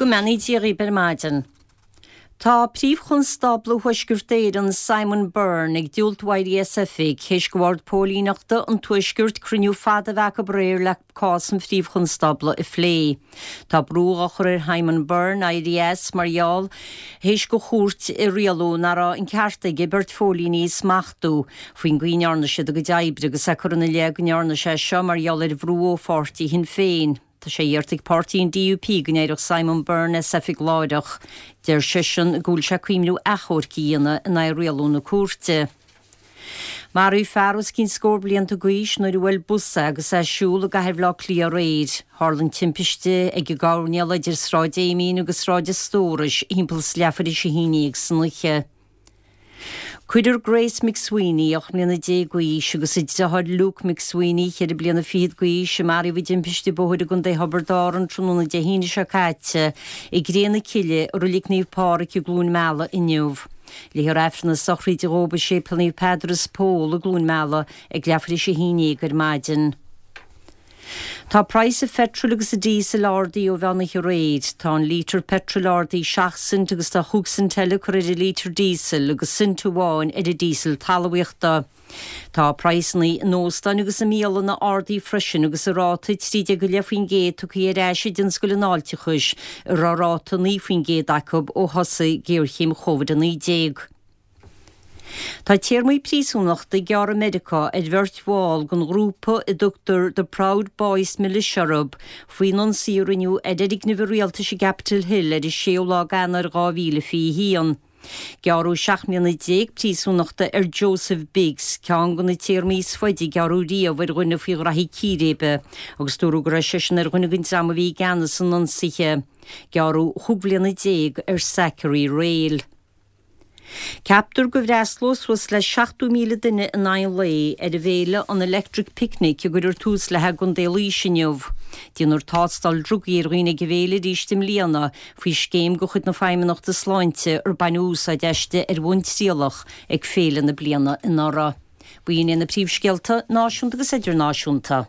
Go mbeannaí Dia dhaoib ar maidin. Tá Príomh-Chonstábla Thuaisceart Éireann, Simon Byrne, ag diúltú éirí as oifig, théis do Bhord Póilíneachta an Tuaiscirt cruinniú fada a bheith acu aréir le cás an Phríomh-Chonstábla a phlé. Tá brú á chur ar Shimon Byrne éirí as mar gheall théis do chúirt a rialú nach raibh an ceart aige beirt phóilíní a smachtú faoin gcaoi a ndearna siad a gcuid oibre agus é curtha ina leith go ndearna sé seo mar gheall ar bhrú ó pháirtí Shinn Féin. Tá sé iarrta ag páirtí an DUP go n-éireodh Simon Byrne as oifig láithreach. Deir seisean go bhfuil sé ag cuimhniú achomharc a dhéanamh in aghaidh rialú na cúirte. Maraíodh fear os cionn scór blianta d'aois nuair a bhuail bus é agus é ag siúl i gcathair Bhaile Átha Cliath aréir. Tharla an timpiste ag an gcoirnéal idir Sráid Amiens agus Sráid an Stórais thimpeall is leathuair tar éis a haon déag san oíche. Cuirfear Grace McSweeney, 18 mbliana d'aois, agus a deartháir Luke McSweeney, ceithre bliana fichead d'aois, a maraíodh i dtimpiste bóthair i gContae Thiobraid Árann tráthnóna Dé hAoine seo caite, i gcré na cille i Roilig Naomh Pádhraic i gCluain Meala inniu. Léifear Aifreann na sochraide dhóibh i Séipéal Naomh Peadar is Pól i gCluain Meala ag leathuair tar éis a haon déag ar maidin. Tá praghas an pheitril agus an díosail ardaithe ó mheán oíche aréir. Tá an lítear peitril ardaithe 7 cent agus tá chúig cent eile curtha ar an lítear díosail agus cent amháin ar an díosal talmhaíochta. Tá praghsanna in óstáin agus i mbialanna ardaithe freisin agus an ráta 13.5% tugtha ar ais i dtionscal an fháilteachais a raibh ráta 9% acu ó thosaigh géarchéim Covid-19. Tá téarmaí príosúnachta gearrtha i Meiriceá ar bheirt bhall den ghrúpa a dtugtar The Proud Boys Militia orthu faoin ionsaí a rinneadh ar fhoirgneamh an rialtais i gCapitol Hill ar an 6ú lá d'Eanáir 2021. Gearradh 17 mbliana príosúnachta ar Joseph Biggs, ceann de na téarmaí is faide a gearradh riamh ar dhuine faoi ghraithí círéibe, agus dúradh go raibh seisean ar dhuine den dream a bhí i gceannas san ionsaithe. Gearradh chúig bhliana déag ar Zachary Rehl. Ceaptar go bhfreastalóidh suas le 70,000 duine in aghaidh an lae ar an bhféile an Electric Picnic a gcuirfear tús léi i gContae Laoise inniu. Déanfar tástáil drugaí ar dhaoine ag an bhféile arís i mbliana faoi scéim de chuid na Feidhmeannachta Sláinte ar baineadh úsáid aisti ar bhonn trialach ag féile na bliana anuraidh. B'in iad na príomhscéalta náisiúnta agus idirnáisiúnta.